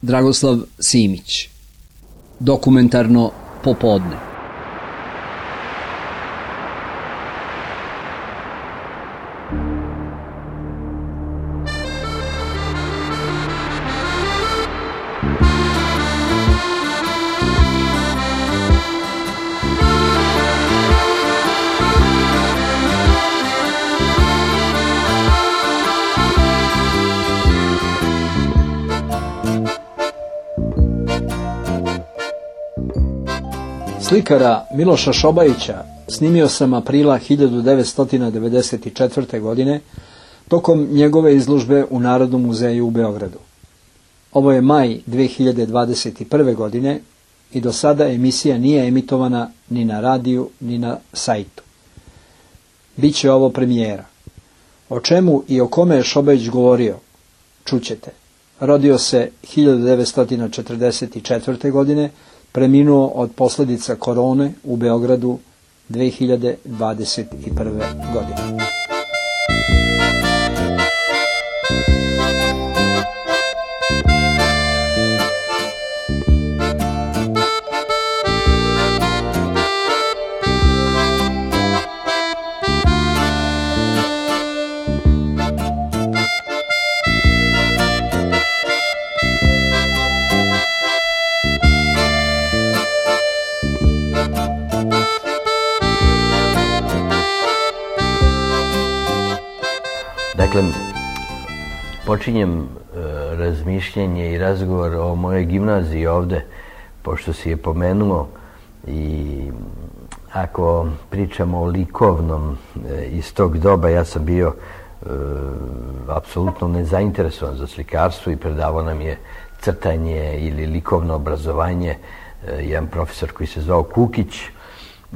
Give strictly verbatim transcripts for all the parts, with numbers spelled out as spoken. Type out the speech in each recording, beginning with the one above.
Dragoslav Simić. Dokumentarno popodne. Slikara Miloša Šobajića snimio sam aprila hiljadu devetsto devedeset četvrte. godine tokom njegove izložbe u Narodnom muzeju u Beogradu. Ovo je maj dve hiljade dvadeset prve. godine i do sada emisija nije emitovana ni na radiju ni na sajtu. Biće ovo premijera. O čemu i o kome je Šobajić govorio, čućete. Rodio se hiljadu devetsto četrdeset četvrte. godine, preminuo od posljedica korone u Beogradu dve hiljade dvadeset prve. godine. Dakle, počinjem e, razmišljanje i razgovor o mojoj gimnaziji ovde, pošto si je pomenuo, i ako pričamo o likovnom e, iz tog doba, ja sam bio e, apsolutno nezainteresovan za slikarstvo i predavao nam je crtanje ili likovno obrazovanje e, jedan profesor koji se zvao Kukić.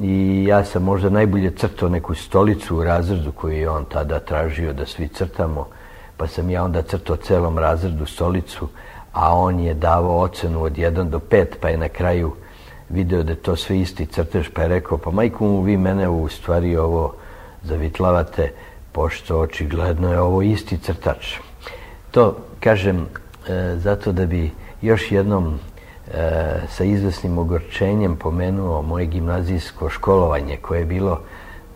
I ja sam možda najbolje crtao neku stolicu u razredu koju je on tada tražio da svi crtamo, pa sam ja onda crtao celom razredu stolicu, a on je davao ocenu od jedan do pet, pa je na kraju video da je to sve isti crtež, pa je rekao, pa majku mu, vi mene u stvari ovo zavitlavate, pošto očigledno je ovo isti crtač. To kažem e, zato da bi još jednom E, sa izvesnim ogorčenjem pomenuo moje gimnazijsko školovanje, koje je bilo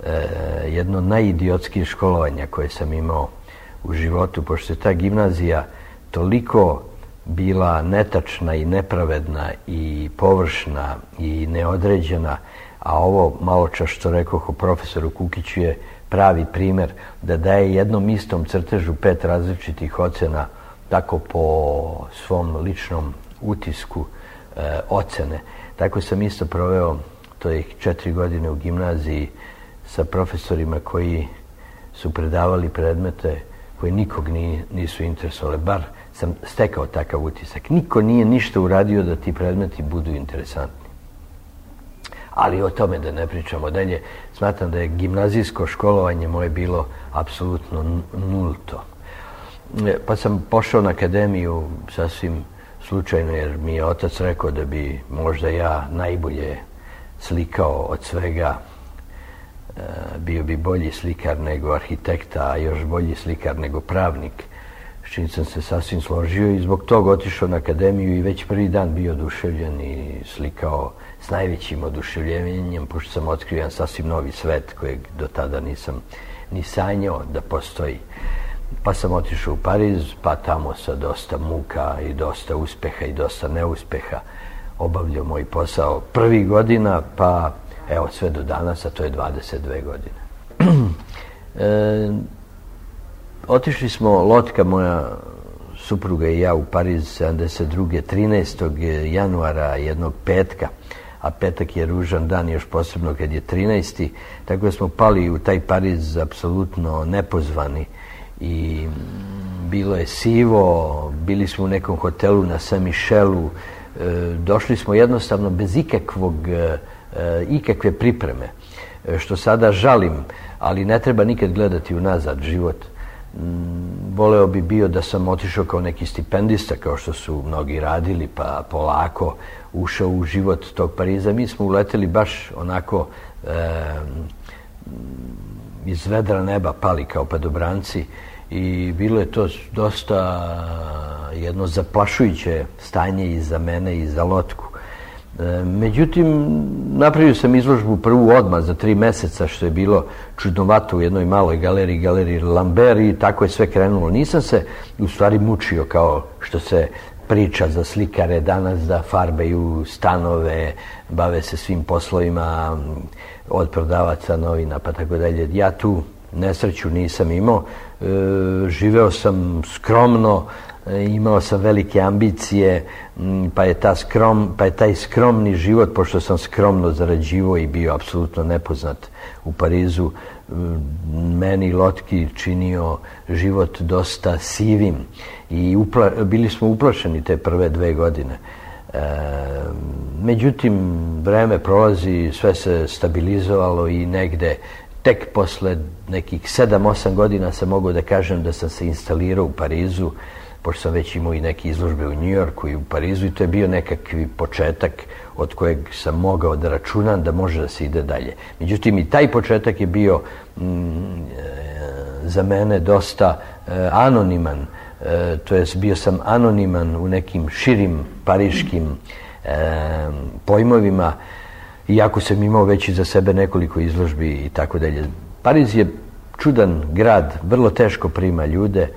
e, jedno najidiotskih školovanja koje sam imao u životu, pošto je ta gimnazija toliko bila netačna i nepravedna i površna i neodređena, a ovo malo čas što rekoh o profesoru Kukiću je pravi primer da daje jednom istom crtežu pet različitih ocena, tako po svom ličnom utisku e, ocene. Tako sam isto proveo tih četiri godine u gimnaziji sa profesorima koji su predavali predmete koji nikog ni, nisu interesovali. Bar sam stekao takav utisak. Niko nije ništa uradio da ti predmeti budu interesantni. Ali o tome da ne pričamo dalje. Smatram da je gimnazijsko školovanje moje bilo apsolutno nulto. Pa sam pošao na akademiju sasvim slučajno, jer mi je otac rekao da bi možda ja najbolje slikao od svega. Bio bi bolji slikar nego arhitekta, a još bolji slikar nego pravnik, s čim sam se sasvim složio i zbog toga otišao na akademiju i već prvi dan bio oduševljen i slikao s najvećim oduševljenjem, pošto sam otkrio jedan sasvim novi svet kojeg do tada nisam ni sanjao da postoji. Pa sam otišao u Pariz, pa tamo sa dosta muka i dosta uspeha i dosta neuspeha obavljao moj posao prvih godina, pa evo sve do danas, a to je dvadeset dve godine. e, otišli smo, Lotka, moja supruga i ja, u Pariz sedamdeset druge trinaestog januara, jednog petka, a petak je ružan dan, još posebno kad je trinaesti, tako da smo pali u taj Pariz apsolutno nepozvani i bilo je sivo, bili smo u nekom hotelu na Saint-Michelu, e, došli smo jednostavno bez ikakvog ikakve pripreme, što sada žalim, ali ne treba nikad gledati unazad život. Voleo bi bio da sam otišao kao neki stipendista, kao što su mnogi radili, pa polako ušao u život tog Pariza. Mi smo uleteli baš onako e, iz vedra neba pali kao padobranci i bilo je to dosta jedno zaplašujuće stanje i za mene i za Lotku. Međutim, napravio sam izložbu prvu odmah za tri meseca, što je bilo čudnovato u jednoj maloj galeriji, galeriji Lambert, i tako je sve krenulo. Nisam se u stvari mučio kao što se priča za slikare danas, da farbaju stanove, bave se svim poslovima od prodavaca novina pa tako dalje. Ja tu nesreću nisam imao. E, živeo sam skromno, imao sam velike ambicije, pa je, ta skrom, pa je taj skromni život, pošto sam skromno zarađivao i bio apsolutno nepoznat u Parizu, meni Lotki činio život dosta sivim i upla, bili smo uplašeni te prve dve godine. E, međutim, vreme prolazi, sve se stabilizovalo i negde tek posle nekih sedam osam godina sam mogao da kažem da sam se instalirao u Parizu, pošto sam već imao i neke izložbe u Njujorku i u Parizu, i to je bio nekakvi početak od kojeg sam mogao da računam da može da se ide dalje. Međutim, i taj početak je bio mm, za mene dosta e, anoniman, e, to jest bio sam anoniman u nekim širim pariškim e, pojmovima, iako sam imao već iza sebe nekoliko izložbi i tako dalje. Pariz je čudan grad, vrlo teško prima ljude,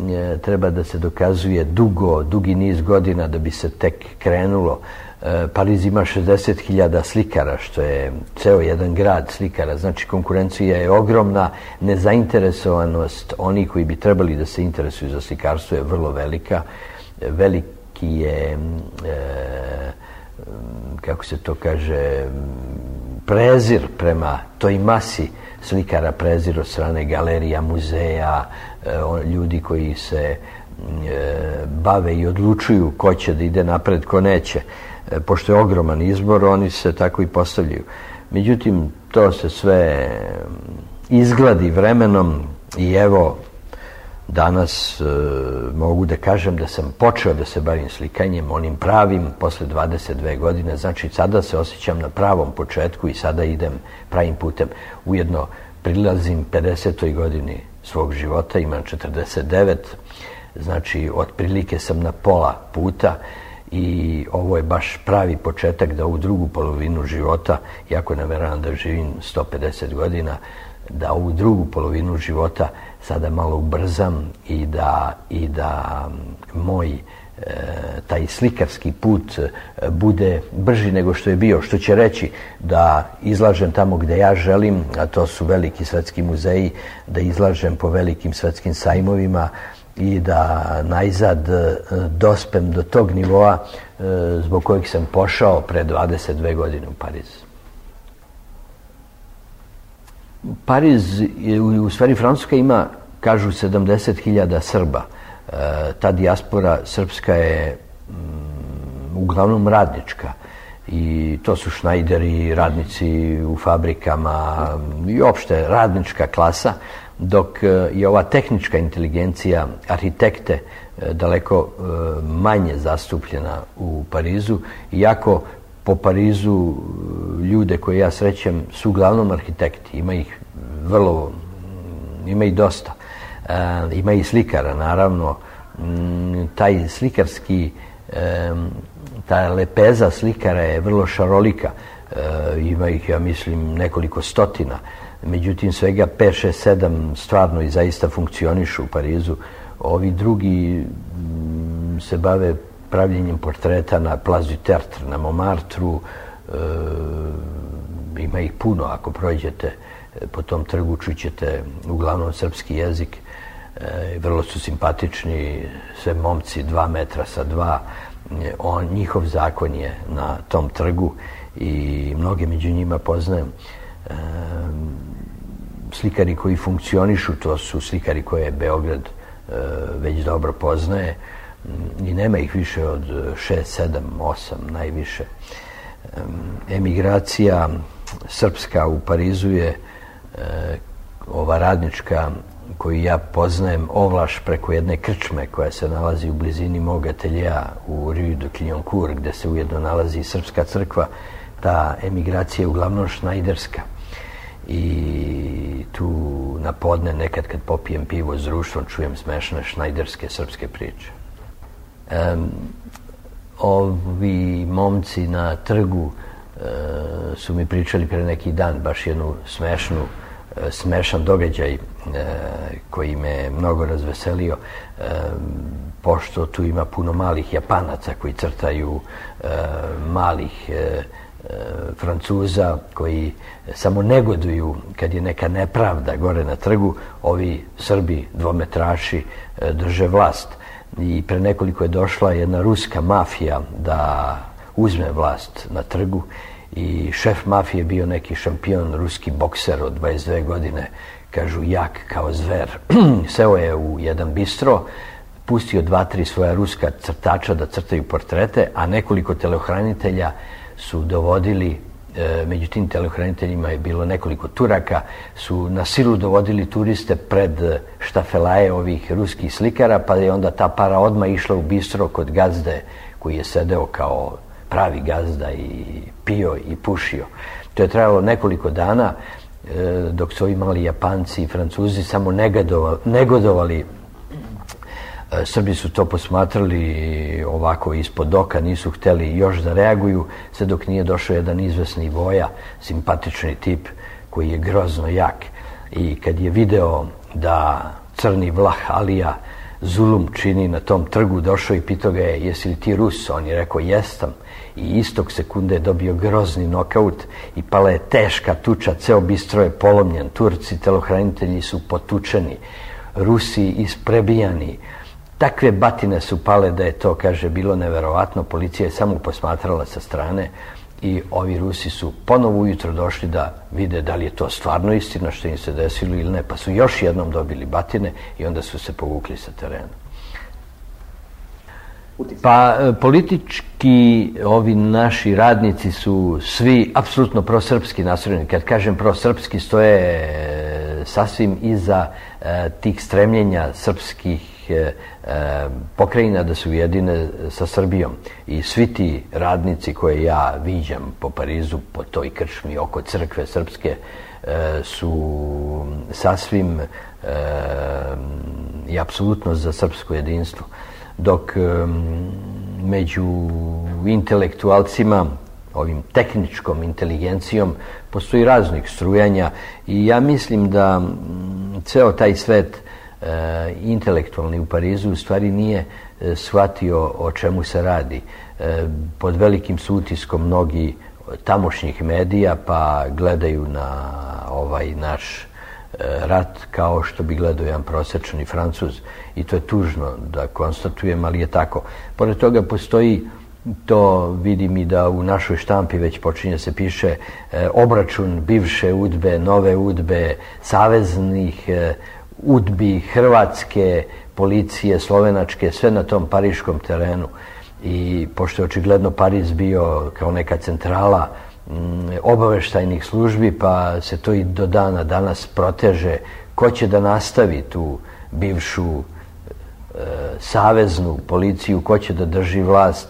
e, treba da se dokazuje dugo, dugi niz godina da bi se tek krenulo. E, Pariz ima šezdeset hiljada slikara, što je ceo jedan grad slikara, znači konkurencija je ogromna, nezainteresovanost onih koji bi trebali da se interesuju za slikarstvo je vrlo velika, veliki je, e, kako se to kaže, prezir prema toj masi slikara, prezir od strane galerija, muzeja, ljudi koji se bave i odlučuju ko će da ide napred, ko neće. Pošto je ogroman izbor, oni se tako i postavljaju. Međutim, to se sve izgladi vremenom i evo, danas e, mogu da kažem da sam počeo da se bavim slikanjem, onim pravim, posle dvadeset dve godine, znači sada se osjećam na pravom početku i sada idem pravim putem. Ujedno prilazim pedesetoj godini svog života, imam četrdeset devet, znači otprilike sam na pola puta i ovo je baš pravi početak da ovu drugu polovinu života, iako nameravam da živim sto pedeset godina, da ovu drugu polovinu života sada malo ubrzam i da, i da moj e, taj slikarski put bude brži nego što je bio, što će reći da izlažem tamo gde ja želim, a to su veliki svetski muzeji, da izlažem po velikim svetskim sajmovima i da najzad dospem do tog nivoa e, zbog kojeg sam pošao pre dvadeset dve godine u Pariz. Pariz, u stvari Francuska ima, kažu, sedamdeset hiljada Srba. E, ta dijaspora srpska je mm, uglavnom radnička i to su šnajderi, radnici u fabrikama i opšte radnička klasa, dok je ova tehnička inteligencija, arhitekte, daleko manje zastupljena u Parizu, iako po Parizu ljude koje ja srećem su uglavnom arhitekti, ima ih vrlo, ima ih dosta. E, ima i slikara, naravno. Taj slikarski, e, ta lepeza slikara je vrlo šarolika. E, ima ih, ja mislim, nekoliko stotina. Međutim, svega pet, šest, sedam stvarno i zaista funkcionišu u Parizu. Ovi drugi se bave pravljenjem portreta na Place du Tertre, na Montmartru. E, ima ih puno, ako prođete po tom trgu čućete uglavnom srpski jezik. E, vrlo su simpatični, sve momci dva metra sa dva. On, njihov zakon je na tom trgu i mnoge među njima poznajem. E, slikari koji funkcionišu, to su slikari koje Beograd e, već dobro poznaje i nema ih više od šest, sedam, osam najviše. E, emigracija srpska u Parizu je e, ova radnička koju ja poznajem ovlaš preko jedne krčme koja se nalazi u blizini mog ateljea u Rue de Clignancourt, gde se ujedno nalazi srpska crkva. Ta emigracija je uglavnom šnajderska i tu na podne nekad kad popijem pivo s društvom čujem smešne šnajderske srpske priče. Ovi momci na trgu su mi pričali pre neki dan baš jednu smešnu, smešan događaj koji me mnogo razveselio, pošto tu ima puno malih Japanaca koji crtaju, malih Francuza koji samo negoduju kad je neka nepravda gore na trgu. Ovi Srbi, dvometraši, drže vlast. I pre nekoliko je došla jedna ruska mafija da uzme vlast na trgu i šef mafije je bio neki šampion, ruski bokser od dvadeset dve godine, kažu jak kao zver. Seo je u jedan bistro, pustio dva, tri svoja ruska crtača da crtaju portrete, a nekoliko telohranitelja su dovodili, među tim telohraniteljima je bilo nekoliko Turaka, su na silu dovodili turiste pred štafelaje ovih ruskih slikara, pa je onda ta para odmah išla u bistro kod gazde koji je sedeo kao pravi gazda i pio i pušio. To je trajalo nekoliko dana dok su ovi mali Japanci i Francuzi samo negodovali. Srbi su to posmatrali ovako ispod oka, nisu hteli još da reaguju, sve dok nije došao jedan izvesni Voja, simpatični tip koji je grozno jak. I kad je video da crni Vlah Alija zulum čini na tom trgu, došao i pitao ga je, jesi li ti Rus? On je rekao, jesam. I istog sekunde je dobio grozni nokaut i pala je teška tuča, ceo bistro je polomljen, Turci, telohranitelji su potučeni, Rusi isprebijani. Takve batine su pale da je to, kaže, bilo neverovatno. Policija je samo posmatrala sa strane i ovi Rusi su ponovo ujutro došli da vide da li je to stvarno istina što im se desilo ili ne, pa su još jednom dobili batine i onda su se povukli sa terena. Pa politički ovi naši radnici su svi apsolutno prosrpski nastrojeni. Kad kažem prosrpski, stoje sasvim iza tih stremljenja srpskih pokrajina da se ujedine sa Srbijom. I svi ti radnici koje ja viđam po Parizu, po toj krčmi oko crkve srpske, su sasvim i apsolutno za srpsko jedinstvo. Dok među intelektualcima, ovim tehničkom inteligencijom, postoji raznih strujanja i ja mislim da ceo taj svet intelektualni u Parizu u stvari nije shvatio o čemu se radi. Pod velikim su utiskom mnogi tamošnjih medija, pa gledaju na ovaj naš rat kao što bi gledao jedan prosečni Francuz. I to je tužno da konstatujem, ali je tako. Pored toga postoji, to vidim i da u našoj štampi već počinje se piše, obračun bivše udbe, nove udbe, saveznih udbi, hrvatske policije, slovenačke, sve na tom pariškom terenu. I pošto je očigledno Pariz bio kao neka centrala obaveštajnih službi, pa se to i do dana danas proteže. Ko će da nastavi tu bivšu e, saveznu policiju, ko će da drži vlast?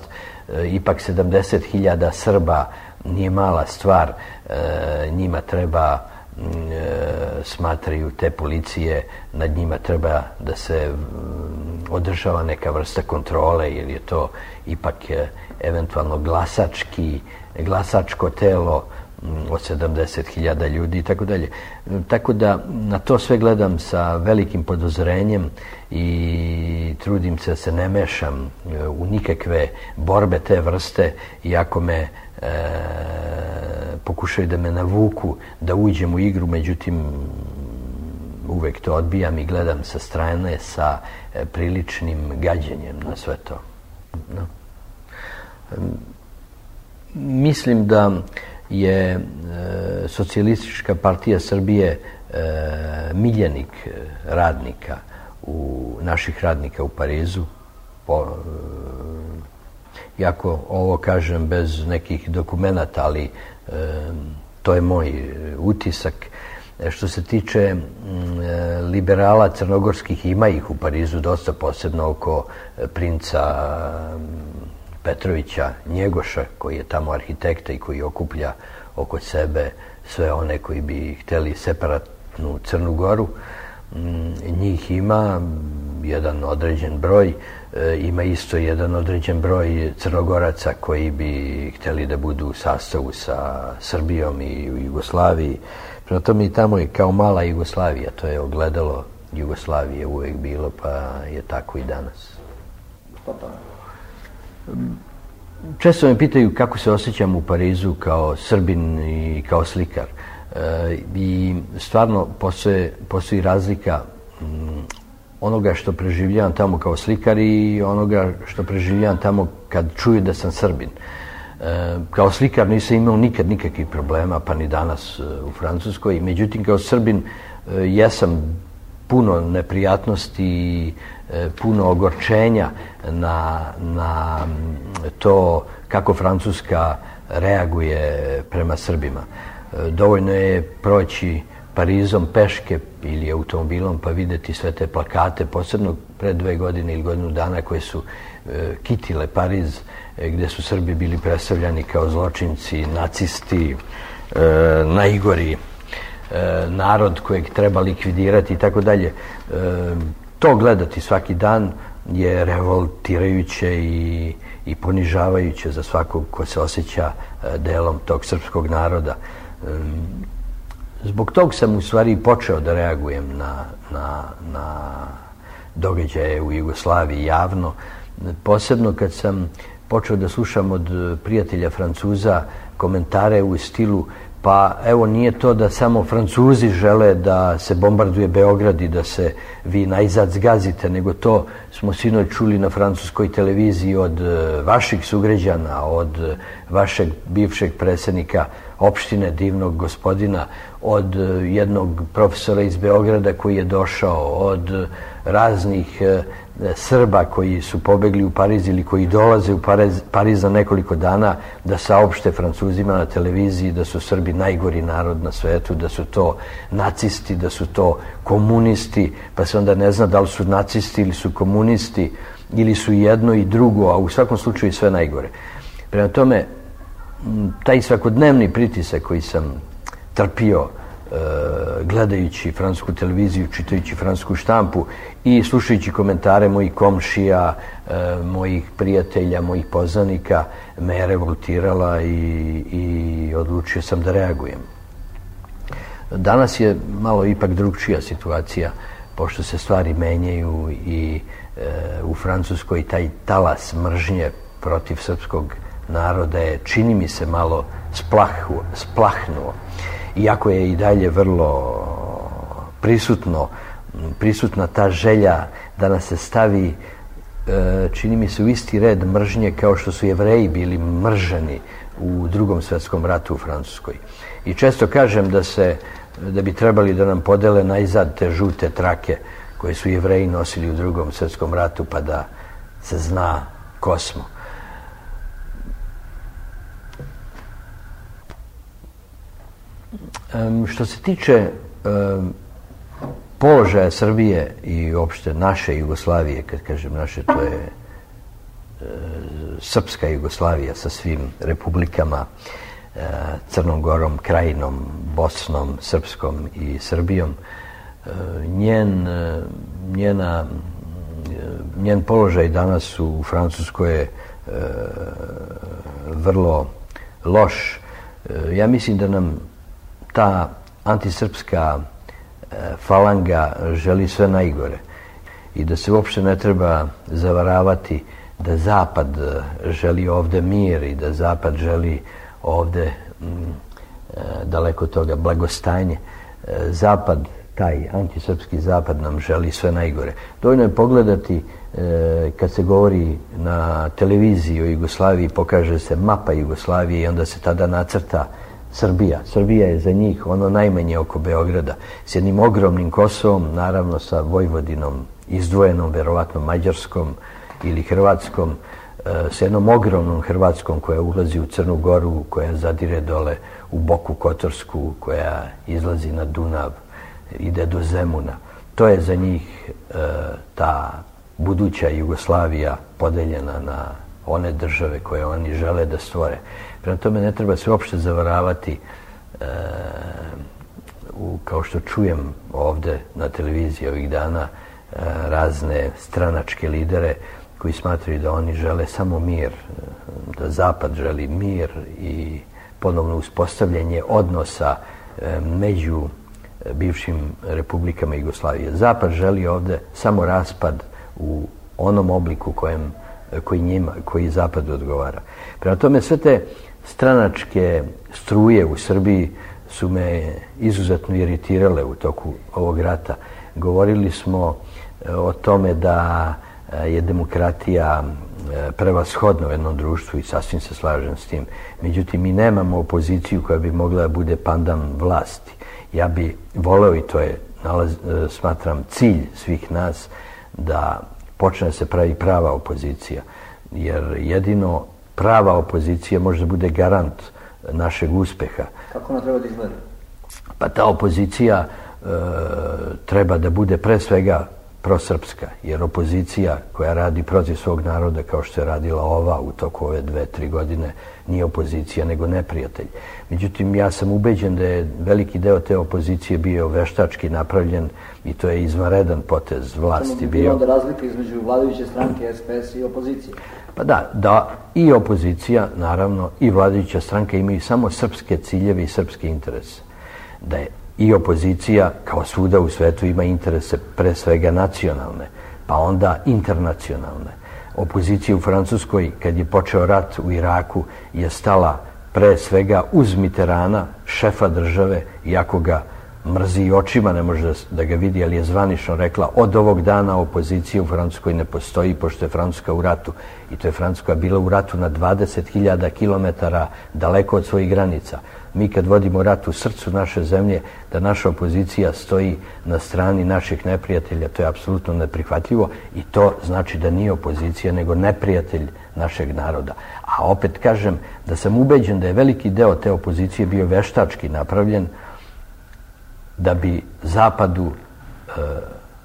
E, ipak sedamdeset hiljada Srba nije mala stvar. E, njima treba, e, smatraju te policije, nad njima treba da se održava neka vrsta kontrole, jer je to ipak e, eventualno glasački glasačko telo od sedamdeset hiljada ljudi i tako dalje. Tako da na to sve gledam sa velikim podozorenjem i trudim se da se ne mešam u nikakve borbe te vrste, iako me e, pokušaju da me navuku da uđem u igru, međutim uvek to odbijam i gledam sa strane sa e, priličnim gađenjem na sve to. No. Mislim da je e, Socijalistička partija Srbije e, miljenik radnika, u, naših radnika u Parizu. Po, e, iako ovo kažem bez nekih dokumenata, ali e, to je moj utisak. E, što se tiče e, liberala crnogorskih, ima ih u Parizu dosta, posebno oko e, princa Petrovića Njegoša, koji je tamo arhitekta i koji okuplja oko sebe sve one koji bi hteli separatnu Crnu Goru. Njih ima, jedan određen broj, ima isto jedan određen broj Crnogoraca koji bi htjeli da budu u sastavu sa Srbijom i u Jugoslaviji. Prema tome i tamo je kao mala Jugoslavija, to je ogledalo Jugoslavije uvijek bilo, pa je tako i danas. Često me pitaju kako se osjećam u Parizu kao Srbin i kao slikar. E, I stvarno postoji, postoji razlika m, onoga što preživljavam tamo kao slikar i onoga što preživljavam tamo kad čuju da sam Srbin. E, kao slikar nisam imao nikad nikakvih problema, pa ni danas u Francuskoj. Međutim, kao Srbin e, jesam puno neprijatnosti i e, puno ogorčenja na, na to kako Francuska reaguje prema Srbima. E, dovoljno je proći Parizom peške ili automobilom pa vidjeti sve te plakate, posebno pre dve godine ili godinu dana koje su e, kitile Pariz, e, gdje su Srbi bili predstavljani kao zločinci, nacisti, e, najgori e, narod kojeg treba likvidirati i tako dalje. To gledati svaki dan je revoltirajuće i, i ponižavajuće za svakog ko se osjeća e, delom tog srpskog naroda. E, Zbog tog sam u stvari počeo da reagujem na, na, na događaje u Jugoslaviji javno, posebno kad sam počeo da slušam od prijatelja Francuza komentare u stilu pa evo nije to da samo Francuzi žele da se bombarduje Beograd i da se vi najzad zgazite, nego to smo sinoć čuli na francuskoj televiziji od vaših sugrađana, od vašeg bivšeg predsjednika opštine, divnog gospodina, od jednog profesora iz Beograda koji je došao, od raznih Srba koji su pobegli u Pariz ili koji dolaze u Pariz, Pariz za nekoliko dana da saopšte Francuzima na televiziji da su Srbi najgori narod na svetu, da su to nacisti, da su to komunisti, pa se onda ne zna da li su nacisti ili su komunisti ili su jedno i drugo, a u svakom slučaju sve najgore. Prema tome, taj svakodnevni pritisak koji sam trpio gledajući francusku televiziju, čitajući francusku štampu i slušajući komentare mojih komšija, mojih prijatelja, mojih poznanika, me je revoltirala i, i odlučio sam da reagujem. Danas je malo ipak drugčija situacija, pošto se stvari menjaju i e, u Francuskoj taj talas mržnje protiv srpskog naroda je, čini mi se, malo splahu, splahnuo. Iako je i dalje vrlo prisutno, prisutna ta želja da nas se stavi, čini mi se, u isti red mržnje kao što su Jevreji bili mrženi u Drugom svjetskom ratu u Francuskoj. I često kažem da se, da bi trebali da nam podele najzad te žute trake koje su Jevreji nosili u Drugom svjetskom ratu, pa da se zna ko smo. Um, što se tiče um, položaja Srbije i uopšte naše Jugoslavije, kad kažem naše, to je uh, srpska Jugoslavija sa svim republikama, uh, Crnom Gorom, Krajinom, Bosnom, Srpskom i Srbijom, uh, njen, uh, njena, uh, njen položaj danas u Francuskoj je uh, vrlo loš. Uh, ja mislim da nam ta antisrpska e, falanga želi sve najgore i da se uopšte ne treba zavaravati da Zapad želi ovde mir i da Zapad želi ovde m, e, daleko toga blagostanje. E, Zapad, taj antisrpski Zapad nam želi sve najgore. Dovoljno je pogledati e, kad se govori na televiziji o Jugoslaviji, pokaže se mapa Jugoslavije i onda se tada nacrta Srbija. Srbija je za njih ono najmanje oko Beograda, s jednim ogromnim Kosovom, naravno sa Vojvodinom, izdvojenom, verovatno Mađarskom ili Hrvatskom, s jednom ogromnom Hrvatskom koja ulazi u Crnu Goru, koja zadire dole u Boku Kotorsku, koja izlazi na Dunav, ide do Zemuna. To je za njih ta buduća Jugoslavija podeljena na one države koje oni žele da stvore. Prema tome ne treba se uopšte zavaravati, e, u, kao što čujem ovde na televiziji ovih dana, razne stranačke lidere koji smatraju da oni žele samo mir, da Zapad želi mir i ponovno uspostavljanje odnosa među bivšim republikama Jugoslavije. Zapad želi ovde samo raspad u onom obliku kojem, koji njima, koji Zapadu odgovara. Prema tome, sve te stranačke struje u Srbiji su me izuzetno iritirale u toku ovog rata. Govorili smo o tome da je demokratija prevashodna u jednom društvu i sasvim se slažem s tim. Međutim, mi nemamo opoziciju koja bi mogla da bude pandan vlasti. Ja bi voleo, i to je, nalaz, smatram, cilj svih nas, da počne da se pravi prava opozicija. Jer jedino prava opozicija može da bude garant našeg uspeha. Kako ona treba da izgleda? Pa ta opozicija e, treba da bude pre svega prosrpska, jer opozicija koja radi protiv svog naroda, kao što je radila ova u toku ove dve, tri godine, nije opozicija, nego neprijatelj. Međutim, ja sam ubeđen da je veliki deo te opozicije bio veštački napravljen i to je izvanredan potez vlasti bio. Samo bi bilo da razlika između vladajuće stranke S P S i opozicije? Pa da, da i opozicija, naravno, i vladajuća stranka imaju samo srpske ciljeve i srpske interese. Da je i opozicija, kao svuda u svetu, ima interese pre svega nacionalne, pa onda internacionalne. Opozicija u Francuskoj, kad je počeo rat u Iraku, je stala pre svega uz Mitterranda, šefa države, iako ga mrzi i očima, ne može da ga vidi, ali je zvanično rekla od ovog dana opozicija u Francuskoj ne postoji, pošto je Francuska u ratu. I to je Francuska bila u ratu na dvadeset hiljada kilometara daleko od svojih granica. Mi kad vodimo rat u srcu naše zemlje, da naša opozicija stoji na strani naših neprijatelja, to je apsolutno neprihvatljivo i to znači da nije opozicija, nego neprijatelj našeg naroda. A opet kažem da sam ubeđen da je veliki deo te opozicije bio veštački napravljen da bi Zapadu e,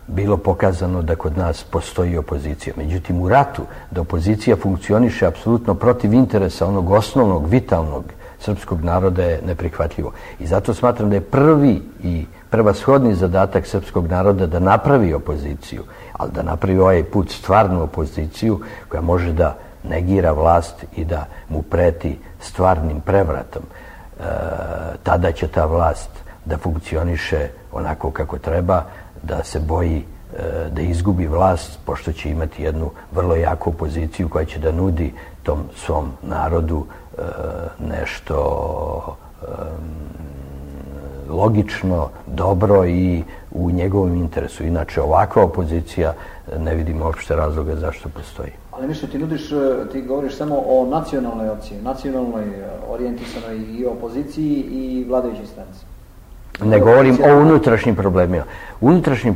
bilo pokazano da kod nas postoji opozicija. Međutim, u ratu da opozicija funkcioniše apsolutno protiv interesa onog osnovnog, vitalnog srpskog naroda je neprihvatljivo. I zato smatram da je prvi i prevashodni zadatak srpskog naroda da napravi opoziciju, ali da napravi ovaj put stvarnu opoziciju koja može da negira vlast i da mu preti stvarnim prevratom. E, tada će ta vlast da funkcioniše onako kako treba, da se boji e, da izgubi vlast, pošto će imati jednu vrlo jaku opoziciju koja će da nudi tom svom narodu e, nešto e, logično, dobro i u njegovom interesu. Inače, ovakva opozicija ne vidimo uopšte razloga zašto postoji. Ali Mišo, ti nudiš, ti govoriš samo o nacionalnoj opciji, nacionalnoj orijentisanoj i opoziciji i vladajućoj stranci. Ne govorim o unutrašnjim problemima. Unutrašnji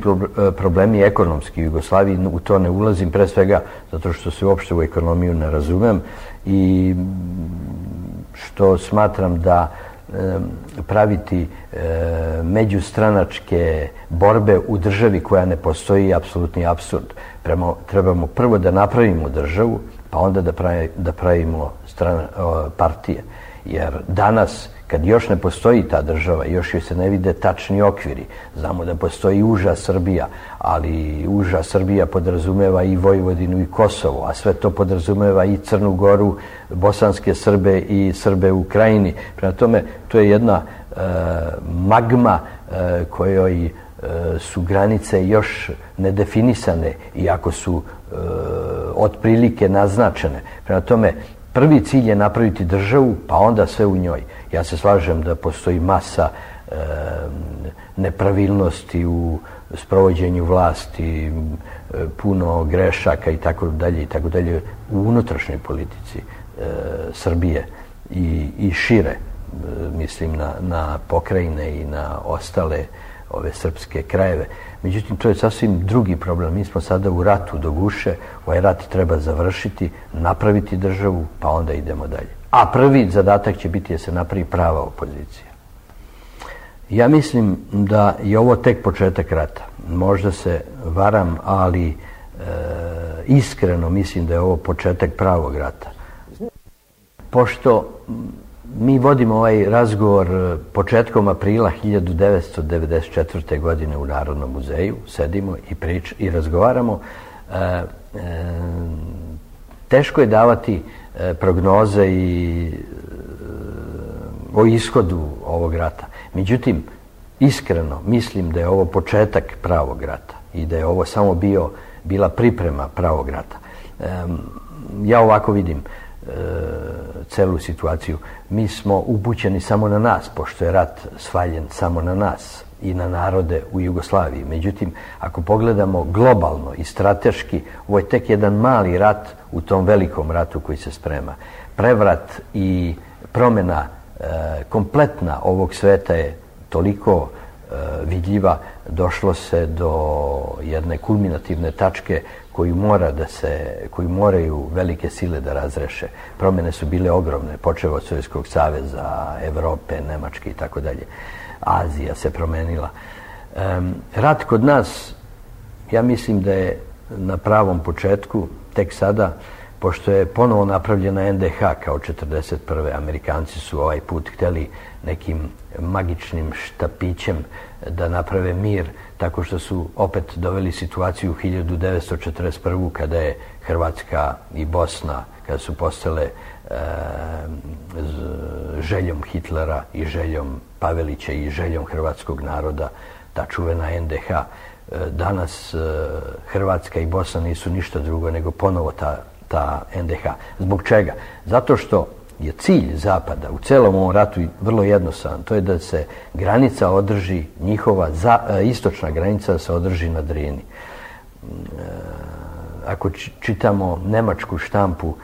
problemi ekonomski u Jugoslaviji, u to ne ulazim pre svega zato što se uopšte u ekonomiju ne razumem i što smatram da e, praviti e, međustranačke borbe u državi koja ne postoji je apsolutni apsurd. Prema, trebamo prvo da napravimo državu, pa onda da, pravi, da pravimo strana, o, partije. Jer danas, kad još ne postoji ta država, još joj se ne vide tačni okviri. Znamo da postoji uža Srbija, ali uža Srbija podrazumeva i Vojvodinu i Kosovo, a sve to podrazumeva i Crnu Goru, bosanske Srbe i Srbe u Krajini. Prema tome, to je jedna e, magma e, kojoj e, su granice još nedefinisane, iako su e, otprilike naznačene. Prema tome, prvi cilj je napraviti državu, pa onda sve u njoj. Ja se slažem da postoji masa e, nepravilnosti u sprovođenju vlasti, e, puno grešaka i tako dalje i tako dalje u unutrašnjoj politici e, Srbije i, i šire, e, mislim na, na pokrajine i na ostale ove srpske krajeve. Međutim, to je sasvim drugi problem. Mi smo sada u ratu do guše, ovaj rat treba završiti, napraviti državu, pa onda idemo dalje. A prvi zadatak će biti da se napravi prava opozicija. Ja mislim da je ovo tek početak rata. Možda se varam, ali e, iskreno mislim da je ovo početak pravog rata. Pošto mi vodimo ovaj razgovor početkom aprila hiljadu devetsto devedeset četvrte. godine u Narodnom muzeju, sedimo i, prič, i razgovaramo. E, e, teško je davati e, prognoze i e, o ishodu ovog rata. Međutim, iskreno mislim da je ovo početak pravog rata i da je ovo samo bio, bila priprema pravog rata. E, ja ovako vidim e, celu situaciju. Mi smo upućeni samo na nas, pošto je rat svaljen samo na nas i na narode u Jugoslaviji. Međutim, ako pogledamo globalno i strateški, ovo je tek jedan mali rat u tom velikom ratu koji se sprema. Prevrat i promjena e, kompletna ovog sveta je toliko e, vidljiva, došlo se do jedne kulminativne tačke koju mora da se, koju moraju velike sile da razreše. Promjene su bile ogromne, počev od Sovjetskog saveza, Evrope, Nemačke i tako dalje. Azija se promenila. Um, rat kod nas, ja mislim da je na pravom početku, tek sada, pošto je ponovo napravljena en de ha kao četrdeset prve. Amerikanci su ovaj put htjeli nekim magičnim štapićem da naprave mir, tako što su opet doveli situaciju u hiljadu devetsto četrdeset prve. kada je Hrvatska i Bosna, kada su postale e, željom Hitlera i željom Pavelića i željom hrvatskog naroda, ta čuvena en de ha. Danas e, Hrvatska i Bosna nisu ništa drugo nego ponovo ta, ta en de ha. Zbog čega? Zato što je cilj Zapada u celom ovom ratu vrlo jednostavan. To je da se granica održi, njihova za, e, istočna granica da se održi na Drini. E, ako čitamo nemačku štampu,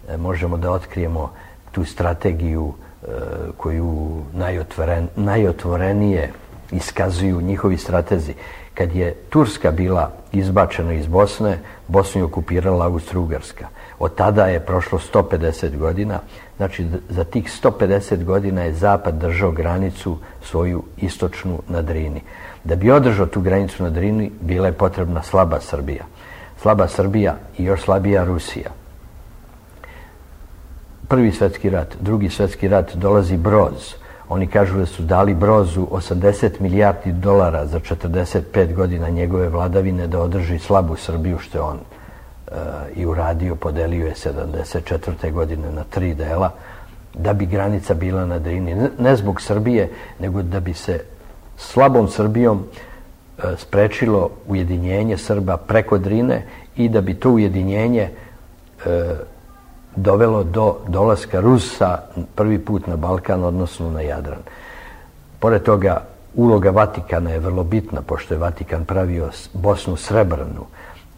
e, možemo da otkrijemo tu strategiju e, koju najotvoren, najotvorenije iskazuju njihovi stratezi. Kad je Turska bila izbačena iz Bosne, Bosnu je okupirala Austro-Ugarska. Od tada je prošlo sto pedeset godina, znači za tih sto pedeset godina je Zapad držao granicu svoju istočnu na Drini. Da bi održao tu granicu na Drini, bila je potrebna slaba Srbija. Slaba Srbija i još slabija Rusija. Prvi svjetski rat, drugi svjetski rat, dolazi Broz. Oni kažu da su dali Brozu osamdeset milijardi dolara za četrdeset pet godina njegove vladavine da održi slabu Srbiju, što je on e, i uradio, podelio je sedamdeset četvrte godine na tri dela, da bi granica bila na Drini. Ne, ne zbog Srbije, nego da bi se slabom Srbijom e, sprečilo ujedinjenje Srba preko Drine i da bi to ujedinjenje e, dovelo do dolaska Rusa prvi put na Balkan, odnosno na Jadran. Pored toga, uloga Vatikana je vrlo bitna, pošto je Vatikan pravio Bosnu Srebrnu,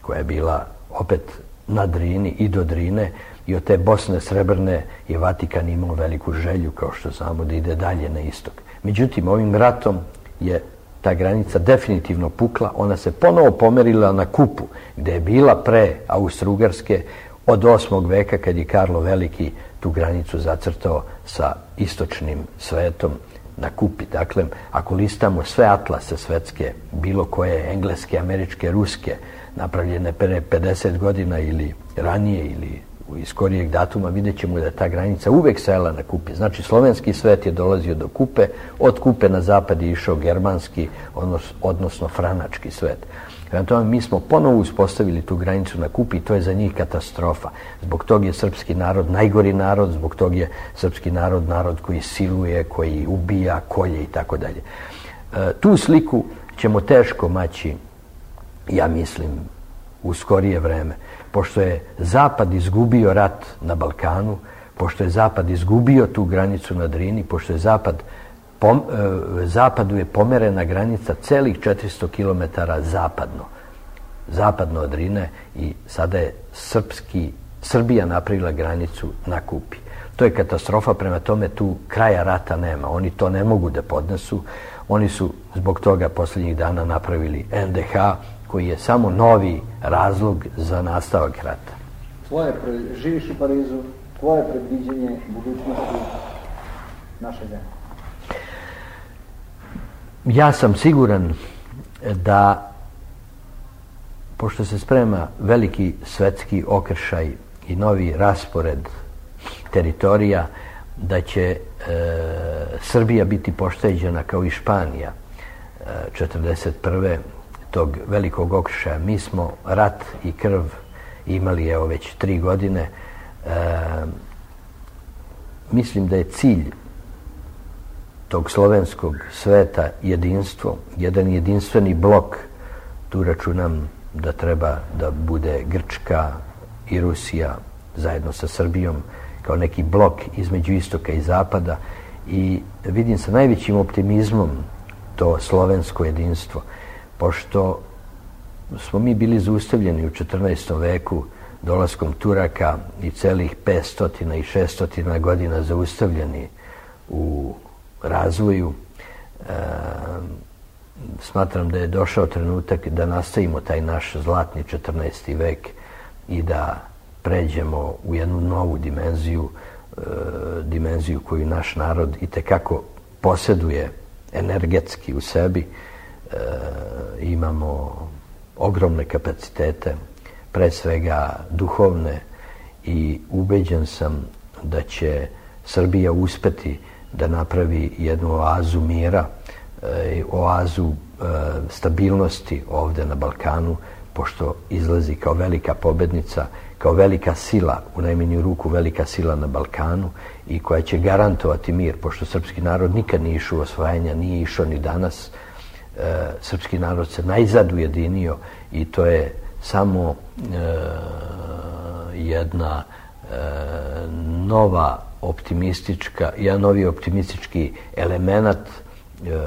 koja je bila opet na Drini i do Drine, i od te Bosne Srebrne je Vatikan imao veliku želju, kao što znamo, da ide dalje na istok. Međutim, ovim ratom je ta granica definitivno pukla, ona se ponovo pomerila na Kupu, gde je bila pre Austro-Ugarske, od osmog veka, kad je Karlo Veliki tu granicu zacrtao sa istočnim svetom na Kupi. Dakle, ako listamo sve atlase svetske, bilo koje engleske, američke, ruske, napravljene pre pedeset godina ili ranije ili iz skorijeg datuma, vidjet ćemo da je ta granica uvek stajala na Kupi. Znači, slovenski svet je dolazio do Kupe, od Kupe na zapad je išao germanski, odnos, odnosno franački svet. Prema tome, mi smo ponovo uspostavili tu granicu na Kupi i to je za njih katastrofa. Zbog tog je srpski narod najgori narod, zbog tog je srpski narod narod koji siluje, koji ubija, kolje i tako dalje. Tu sliku ćemo teško maći, ja mislim, u skorije vreme. Pošto je Zapad izgubio rat na Balkanu, pošto je Zapad izgubio tu granicu na Drini, pošto je Zapad Pom, e, zapadu je pomerena granica celih četiristo kilometara zapadno. Zapadno od Drine i sada je srpski, Srbija napravila granicu na Kupi. To je katastrofa, prema tome tu kraja rata nema. Oni to ne mogu da podnesu. Oni su zbog toga posljednjih dana napravili en de ha, koji je samo novi razlog za nastavak rata. Tvoje, živiš u Parizu, tvoje predviđenje budućnosti naše zemlje? Ja sam siguran da, pošto se sprema veliki svetski okršaj i novi raspored teritorija, da će e, Srbija biti pošteđena kao i Španija e, četrdeset prve tog velikog okršaja. Mi smo rat i krv imali evo već tri godine. E, mislim da je cilj tog slovenskog sveta jedinstvo, jedan jedinstveni blok. Tu računam da treba da bude Grčka i Rusija zajedno sa Srbijom kao neki blok između istoka i zapada, i vidim sa najvećim optimizmom to slovensko jedinstvo, pošto smo mi bili zaustavljeni u četrnaestom veku dolaskom Turaka i celih petsto i šesto godina zaustavljeni u razvoju. E, smatram da je došao trenutak da nastavimo taj naš zlatni četrnaesti vek i da pređemo u jednu novu dimenziju, e, dimenziju koju naš narod itekako poseduje energetski u sebi. E, imamo ogromne kapacitete, pre svega duhovne, i ubeđen sam da će Srbija uspeti da napravi jednu oazu mira, e, oazu e, stabilnosti ovde na Balkanu, pošto izlazi kao velika pobednica, kao velika sila, u najmanju ruku velika sila na Balkanu, i koja će garantovati mir, pošto srpski narod nikad nije išao u osvajanja, nije išao ni danas. E, srpski narod se najzad ujedinio, i to je samo e, jedna e, nova optimistička, jedan novi optimistički element e,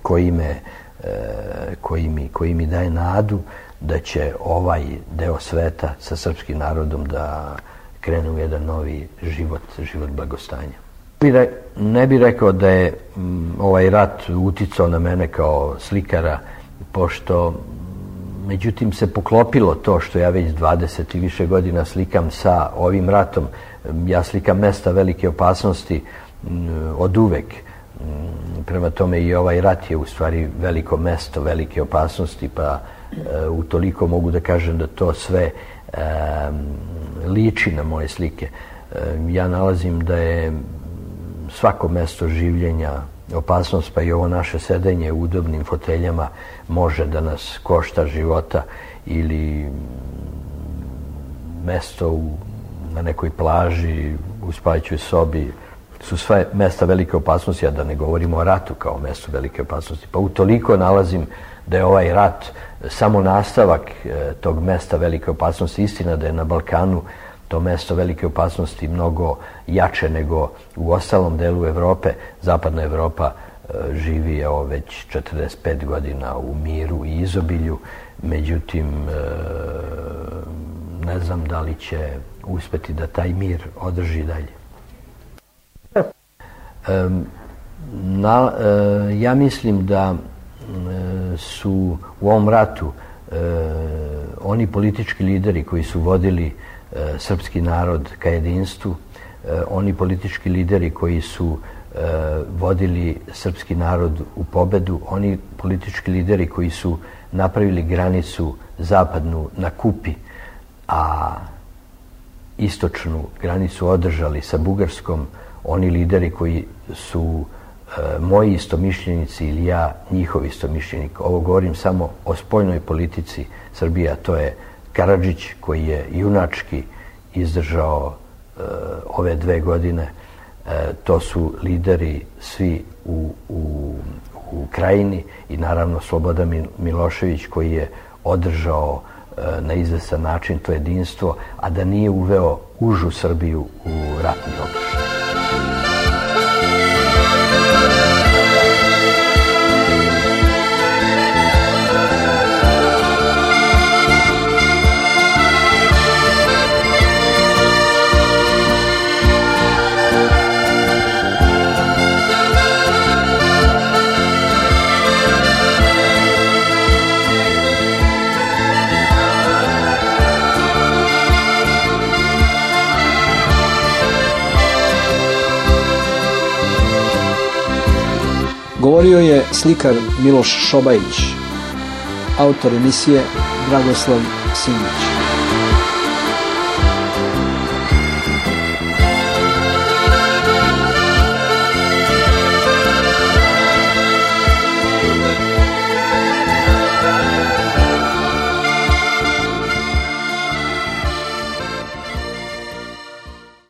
koji me, e, koji mi, koji mi daje nadu da će ovaj deo sveta sa srpskim narodom da krene u jedan novi život, život blagostanja. Ne bih rekao da je m, ovaj rat uticao na mene kao slikara, pošto međutim se poklopilo to što ja već dvadeset i više godina slikam sa ovim ratom. Ja slikam mesta velike opasnosti m, od uvek. M, prema tome i ovaj rat je u stvari veliko mesto velike opasnosti, pa e, utoliko mogu da kažem da to sve e, liči na moje slike. E, ja nalazim da je svako mesto življenja opasnost, pa i ovo naše sedenje u udobnim foteljama može da nas košta života, ili mesto u, na nekoj plaži, u spavaćoj sobi, su sve mesta velike opasnosti, a da ne govorimo o ratu kao mesto velike opasnosti. Pa utoliko nalazim da je ovaj rat samo nastavak e, tog mesta velike opasnosti. Istina da je na Balkanu to mesto velike opasnosti mnogo jače nego u ostalom delu Evrope. Zapadna Evropa e, živi evo već četrdeset pet godina u miru i izobilju, međutim e, ne znam da li će uspeti da taj mir održi dalje. E, na, e, ja mislim da e, su u ovom ratu e, oni politički lideri koji su vodili srpski narod ka jedinstvu, oni politički lideri koji su vodili srpski narod u pobedu, oni politički lideri koji su napravili granicu zapadnu na Kupi, a istočnu granicu održali sa Bugarskom, oni lideri koji su moji istomišljenici ili ja njihov istomišljenik. Ovo govorim samo o spoljnoj politici Srbije, a to je Karadžić, koji je junački izdržao e, ove dve godine. E, to su lideri svi u, u, u Krajini, i naravno Slobodan Milošević, koji je održao e, na izvestan način to jedinstvo, a da nije uveo užu Srbiju u ratni okršaj. Govorio je slikar Miloš Šobajić, autor emisije Dragoslav Simić.